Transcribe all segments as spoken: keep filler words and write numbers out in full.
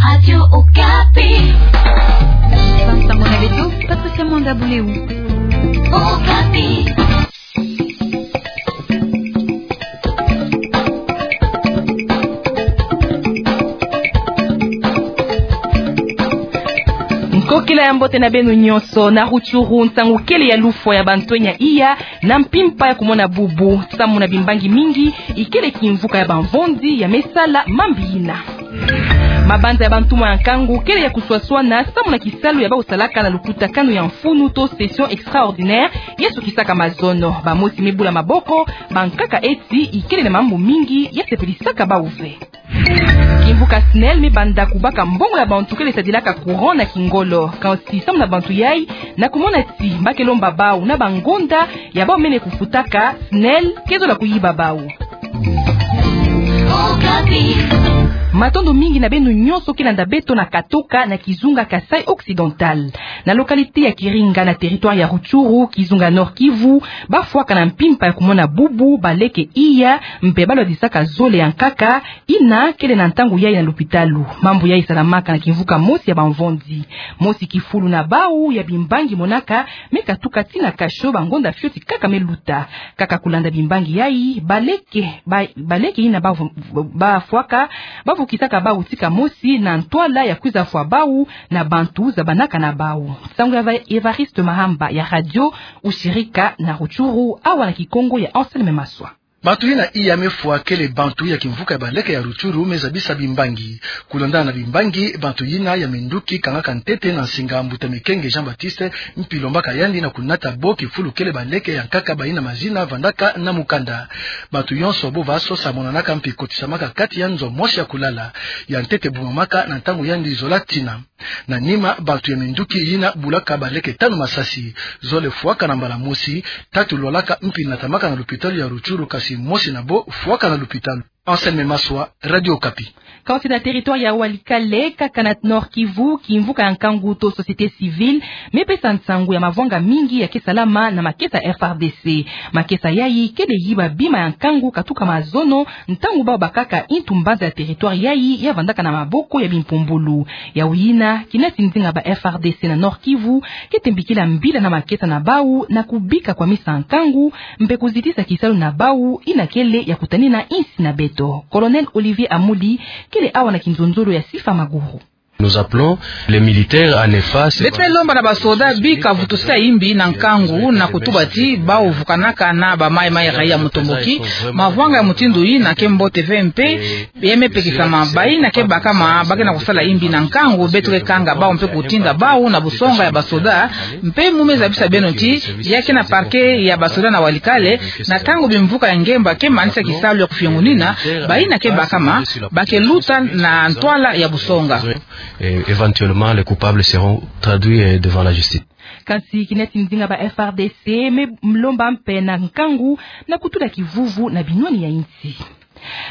Radio Okapi. Sango na beto, Patricia Mwanda Buleu. Okapi. Nkokila ya mbote na beno nyonso. Na Rutshuru, nsangu kele ya lufwa ya bantwenya iya na mpimpa ya kumona bubu, samu na bimbangi mingi ikele kimvuka ya bamvonzi ya me sala mambi yina. Mabanza ya bantumwa ya nkangu kele ya kuswaswana samu na kisalu ya bawu salaka na lukutakanu ya mfunu to session extraordinaire ya sukisaka mazono. Bamosi me bula maboko, bankaka eti ikele na mambu mingi ya sepelisaka bawu ve. Kimvuka SNEL me banda kubaka mbongo ya bantu kele sadilaka courant na kingolo. Kansi samu na bantu yayi, na kumona ti ba ke lomba bawu na bangonda ya bawu mene kufutaka, SNEL ke zola kuyiba bawu. Matondo mingi na beno nyonso ke landa beto na katoka na kizunga Kasaï Occidental. Na localité ya Kiringa na territoire ya Rutshuru, kizunga Nord-Kivu, bafwaka na mpimpa ya kumona bubu baleke iya, mpe balwadisaka zole ya nkaka, yina kele na ntangu yayi na lupitalu. Mambu yayi salamaka na kimvuka mosi ya bamvonzi. Mosi kifulu na bawu ya bimbangi monaka me katuka ti na cachot bangonda fioti kaka me luta. Kaka kulanda bimbangi yayi, baleke, ba-, baleke yina bavo-, bafwaka, bavukisaka bawu tika mosi na ntwala ya kwiza fwa bawu na bantu zabanaka na bawu. Nsangu ya Eva-, Evariste Mahamba ya radio Ushirika na Rutshuru, awa na Kikongo ya Anselme Maswa. Bantu yina iya me fwa kele bantu ya kimvuka ya baleke ya Rutshuru me zabisa bimbangi. Kulandana na bimbangi, bantu yina ya minduki kangaka ntete na nsinga mbuta Mikenge Jean-Baptiste, mpi lombaka yandi na kunata bo kifulu kele baleke ya nkaka bayina mazina vandaka na mukanda. Bantu yonso bo vasosa monanaka mpi kotisamaka kati ya nzo mosi ya kulala. Ya ntete bumamaka na ntangu yandi zola tina. Na nima, bantu ya minduki yina bulaka baleke tanu masasi. Zole fwaka na mbala mosi, tatu lwalaka mpi natamaka na lupitalu ya Rutshuru, kasi mosi na bo fwaka na lupitalu. Anselme Maswa, Radio Okapi. Kansi na territoire ya Walikale, kaka na Nord-Kivu, kimvuka ya nkangu to société civile me pesa nsangu ya mavwanga mingi ya ke salama na makesa F R D C. Makesa yayi kele yiba bima ya nkangu katuka mazono, ntangu bawu bakaka intu mbanza ya territoire yayi ya vandaka na maboko ya bimpumbulu. Yawu yina, kina ti nzinga ba F R D C na Nord-Kivu ke tembikila mbila na makesa na bawu na kubika kwamisa nkangu, mpe kuzitisa kisalu na bawu yina kele ya kutanina insi na beto. Colonel Olivier Amuli kele awa na kinzonzolo ya Sifa Maguru. Nous appelons les militaires à ne pas se... Beto me lomba na basoda bika vutusa imbi na nkangu na kutuba ti bawu vukanaka na bamaimai raia mutomboki. Mavwanga ya mutindu yina ke mbote ve mpe ya me pekisama. Bayina ke bakama ba ke na kusala imbi na nkangu, beto ke kanga bawu mpe kutinda bawu na busonga ya basoda. Mpe mu me zabisa beno ti ya ke na parquet ya basoda na Walikale, na ntangu bimvuka ya ngemba ke manisa kisalu ya kufiongunina, bayina ke bakama ba ke luta na ntwala ya busonga. Et éventuellement, les coupables seront traduits, euh, devant la justice. Kansi kina ti nzinga ba F R D C me lomba mpe na nkangu na kutula kivuvu na binwani ya insi.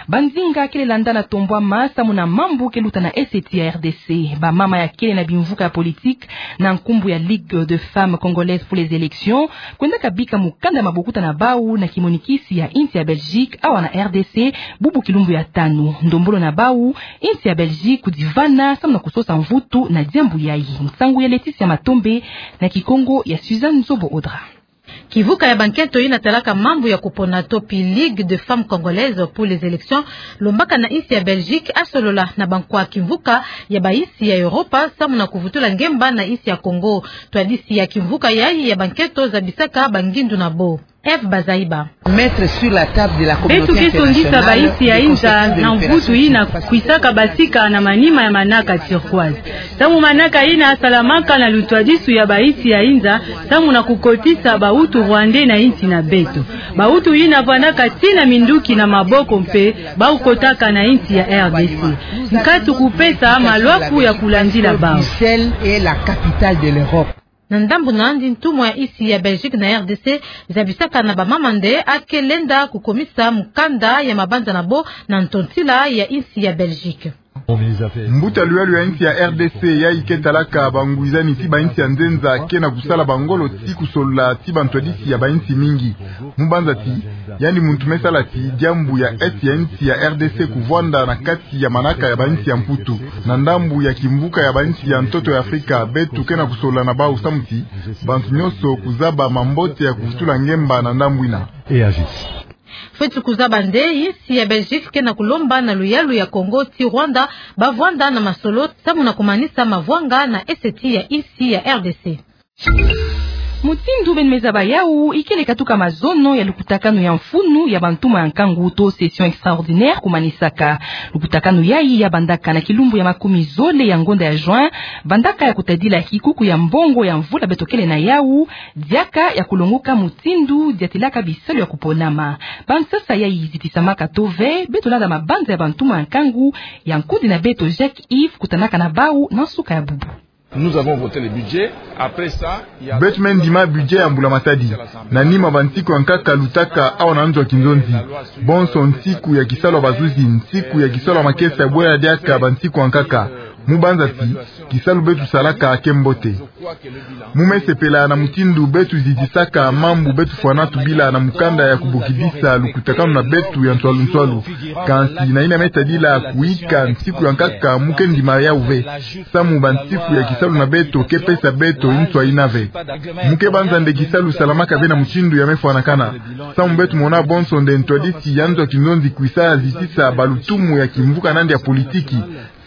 Banzinga kele landa na tombwama samu na mambu ke luta na ese ti ya R D C. Bamama ya kele na bimvuka ya politique na nkumbu ya Ligue de Femmes Congolaises pour les Élections kwendaka bika mukanda mabokuta na bawu na kimonikisi ya insi ya Belgique awa na R D C, bubu kilumbu ya tanu. Ndombolo na bawu, insi ya Belgique kudivana samu na kusosa mvutu na diambu yayi. Nsangu ya Laetitia Matombe, na Kikongo ya Suzanne Nzobo Audra. Kimvuka ya bankento yina talaka mambu ya kupona to pi Ligue de Femmes Congolaises pour les Élections lombaka na insi ya Belgique asolola na bankwa kimvuka ya bainsi ya Europa samu na kuvutula ngemba na insi ya Congo. Ntwadisi ya kimvuka yayi ya bankento zabisaka bangindu na bo. Eve Bazaiba. Mettre sur la table de la communauté internationale les conséquences de l'opération Sud-Ouest. Beto ke tondisa bainsi ya inza na mvutu yina kwisaka basika na manima ya manaka turquoise. Samu manaka yina salamaka na lutwadisu ya bainsi ya inza, samu na kukotisa bawutu rwandais na insi na beto. Bawutu yina vandaka tii na minduki na maboko mpe bakotaka na insi ya R D C. Nkatu kupesa malwaku ya kulandila bawu. Bruxelles est la capitale de l'Europe. Na ndambu na yandi, ntumwa ya insi ya Belgique na R D C zabisaka na bamama nde ake lenda kukomisa mukanda ya mabanza na bo na ntontila ya insi ya Belgique. Mbuta luyalo ya insi ya R D C yayi ke talaka bangwizani ti bainsi ya nzenza ke na kusala bangolo ti kusolola ti bantwadisi ya bainsi mingi. Mu banza ti Yandi muntu me sala ti diambu ya Est ya insi ya R D C kuvwanda na kati ya manaka ya bansi ya Mputu. Na ndambu ya kimvuka ya bansi ya ntoto ya Afrika, beto ke na kusolola na bawu samu ti bantu nyonso kuzaba mambote ya kuvutula ngemba na ndambu ina. Fweti kuzaba nde insi ya Belgique ke na kulomba na luyalu ya Congo ti Rwanda bavwanda na masolo samu na kumanisa mavwanga na eseti ya insi ya R D C. Mutindu beno me zaba yawu, ikele katuka mazono ya lukutakanu ya mfunu ya bantumwa ya nkangu to session extraordinaire kumanisaka. Lukutakanu yayi ya bandaka na kilumbu ya makumi zole ya ngonda ya juin, bandaka ya kutadila kikuku ya mbongo ya mvula beto kele na yawu, diaka ya kulongoka mutindu diatilaka bisalu ya kuponama. Bansasa yayi zitisamaka to ve, beto landa mabanza ya bantumwa ya nkangu ya nkundi na beto Jacques Yves kutanaka na bawu na nsuka ya bubu. Nous avons voté le budget. Après ça, il y a... Beto me ndima budget ya mbula matadi. Na nima bansiku ya nkaka lutaka awa na nzo ya kinzonzi. Bonso nsiku ya kisalu ya bazuzi, nsiku ya kisalu ya makesa ya bwela diaka bansiku ya nkaka. Mu banza ti kisalu beto salaka ke mbote. Mu me sepela na mutindu beto zitisaka mambu beto fwana tubila na mukanda ya kubokidisa lukutakanu na beto ya nswalu nswalu. Kansi na yina me tadila kuika nsiku ya nkaka, mu ke ndima yawu ve. Samu bansiku ya kisalu na beto ke pesa beto nswa yina ve. Mu ke banza nde kisalu salamaka ve na mutindu ya me fwanakana. Samu beto mona bonso nde ntwadisi ya nzo ya kinzonzi kwisa zitisa balutumu ya kimvuka nandi ya politiki.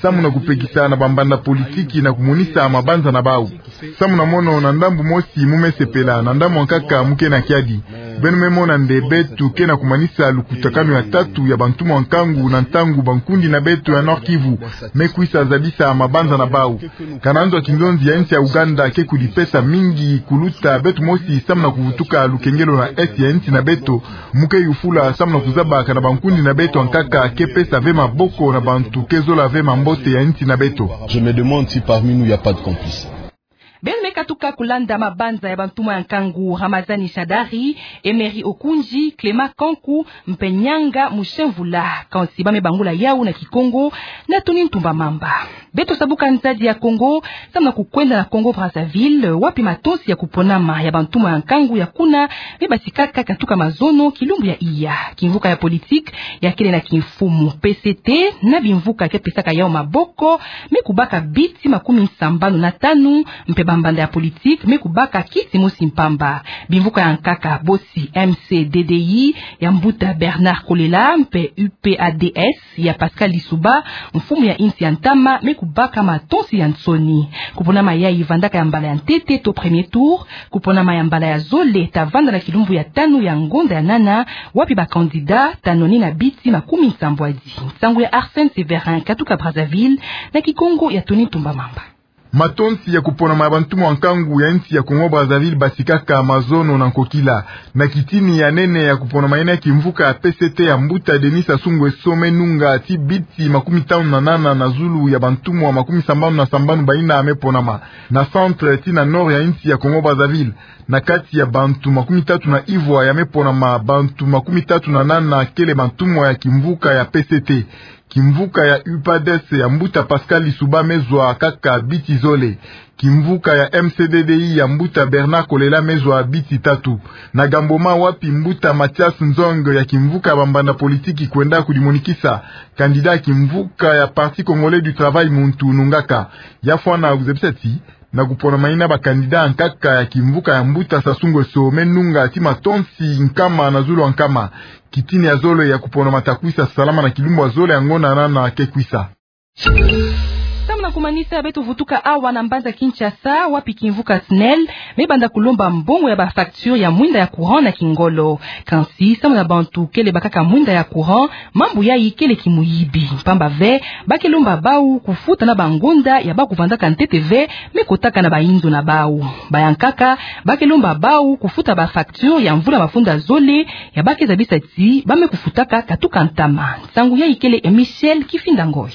Samu na kupekisa na bambanda politiki na kumonisa mabanza na bawu. Samu na mono na ndambu mosi mu me sepela, na ndambu ya nkaka mu ke na kiadi. Beno me mona nde beto ke na kumanisa lukutakanu ya tatu ya bantumwa ya nkangu na ntangu bankundi na beto ya Nord-Kivu me kwisa zabisa mabanza na bawu. Kana nzo ya kinzonzi ya insi ya Ouganda ke kudipesa mingi kuluta beto mosi samu na kuvutuka lukengelo na Est ya insi na beto, mu ke yufula samu na kuzaba kana bankundi na beto ya nkaka ke pesa ve maboko na bantu ke zola ve mambote ya insi na beto. Je me demande si parmi nous, il y a pas de complices. Beno me katuka kulanda mabanza ya bantumwa ya nkangu: Ramazani Shadari, Emery Okundji, Clément Kanku, mpe Nyanga Mushenvula. Kansi ba me bangula yawu na Kikongo na Tony Ntumba Mamba. Beto sabuka nzadi ya Congo, samu na kukwenda na Congo Brazzaville, wapi matonsi ya kuponama ya bantumwa ya nkangu ya kuna me batikaka katuka mazono kilumbu ya iya. Kimvuka ya politique ya kele na kimfumu P C T na bimvuka ke pesaka yawu maboko me kubaka biti makumi sambanu na tanu, mpe bambanda ya politique me kubaka kiti mosi mpamba. Bimvuka ya nkaka bosi M C D D I ya mbuta Bernard Kolela mpe U P A D S ya Pascal Lissouba, mfumu ya insi ya ntama, me kubaka matonsi ya nsoni. Kuponama yayi vandaka ya mbala ya ntete to premier tour. Kuponama ya mbala ya zole ta vanda na kilumbu ya tanu ya ngonda ya nana, wapi ba candidats ta nwanina biti makumi sambwadi. Nsangu ya Arsène Séverin katuka Brazzaville, na Kikongo ya Tony Ntumba Mamba. Matonsi ya kuponama ya bantumwa ya nkangu ya insi ya Congo Brazzaville batikaka mazono na nkokila. Na kitini ya nene ya kuponama yina, kimvuka ya P C T ya mbuta Denis Sassou Nguesso me nunga ti biti makumi tanu na nana na zulu ya bantumwa makumi sambanu na sambanu bayina me ponama. Na centre ti na nord ya insi ya Congo Brazzaville, na kati ya bantu makumi tatu na ivwa ya me ponama, bantu makumi tatu na nana kele bantumwa ya kimvuka ya P C T. Kimvuka ya U P A D S ya mbuta Pascal Lissouba me zwa kaka biti zole. Kimvuka ya M C D D I ya mbuta Bernard Kolela me zwa biti tatu. Na Gamboma, wapi mbuta Mathias Nzong ya kimvuka ya bambanda politiki kwenda kudimonikisa, candidat kimvuka ya Parti Congolais du Travail muntu nungaka. Ya fwana kuzebisa ti na kuponama yina, ba candidats ya nkaka ya kimvuka ya mbuta Sassou Nguesso me nunga ti matonsi nkama na zulu ya nkama. Kitini ya zole ya kuponama ta kwisa salama na kilumbu ya zole ya ngonda ya nana ke kwisa. Samu na kumanisa, beto vutuka awa na mbanza Kinshasa, wapi kimvuka SNEL me banda kulomba mbongo ya ba facture ya mwinda ya courant na kingolo. Kansi samu na bantu kele bakaka mwinda ya courant, mambu yayi kele kimuyibi. Mpamba ve, ba ke lomba bawu kufuta na bangonda ya ba kuvandaka ntete ve me kotaka na bayinzo na bawu. Ba ya nkaka, ba ke lomba bawu kufuta ba facture ya mvula mafunda zole ya ba ke zabisa ti ba me kufutaka katuka ntama. Nsangu yayi kele ya Michel Kifinda Ngoy.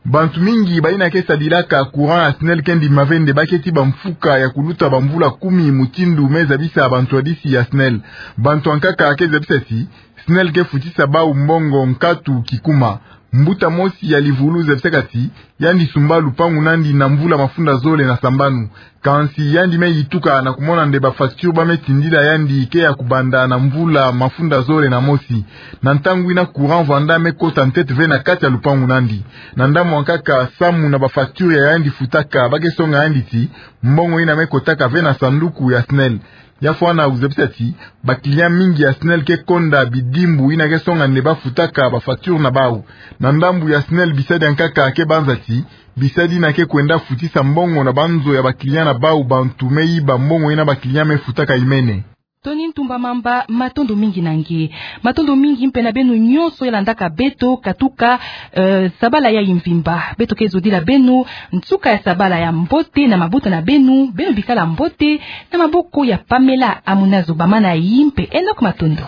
Bantu mingi bayina ke sadilaka courant ya SNEL ke ndima ve nde ba keti bamfuka ya kuluta bamvula kumi mutindu me zabisa bantwadisi ya SNEL. Bantu ya nkaka ke zabisa ti SNEL ke futisa bawu mbongo nkatu kikuma. Mbuta mosi ya livulu zebisaka ti yandi sumba lupangu na yandi na mvula mafunda zole na sambanu. Kansi yandi me yituka na kumona nde ba facture ba me tindila yandi ke ya kubanda na mvula mafunda zole na mosi. Na ntangu yina courant vwanda me kota ntete ve na kati ya lupangu na yandi. Na ndambu ya nkaka, samu na ba facture ya yandi futaka, ba ke songa yandi ti mbongo yina me kotaka ve na sanduku ya SNEL. Ya fwana kuzebisa ti ba client mingi ya SNEL ke konda bidimbu yina ke songa nde ba futaka ba facture na bau. Na ndambu ya SNEL, bisadi ya nkaka ke banza ti bisadi yina ke kwenda futisa mbongo na banzo ya ba client na bau, bantu me yiba mbongo yina ba client me futaka imene. Tony Ntumba Mamba, matondo mingi na nge. Matondo mingi mpe na beno nyonso ya landaka beto katuka, eh, sabala yayi mvimba. Beto ke zodila beno nsuka ya sabala ya mbote na mabota na beno. Beno bikala mbote, na maboko ya Pamela Amunazo Bamana, yi mpe Enoch Matondo.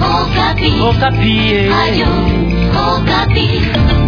Okapi. Okapi, eh. Radio Okapi.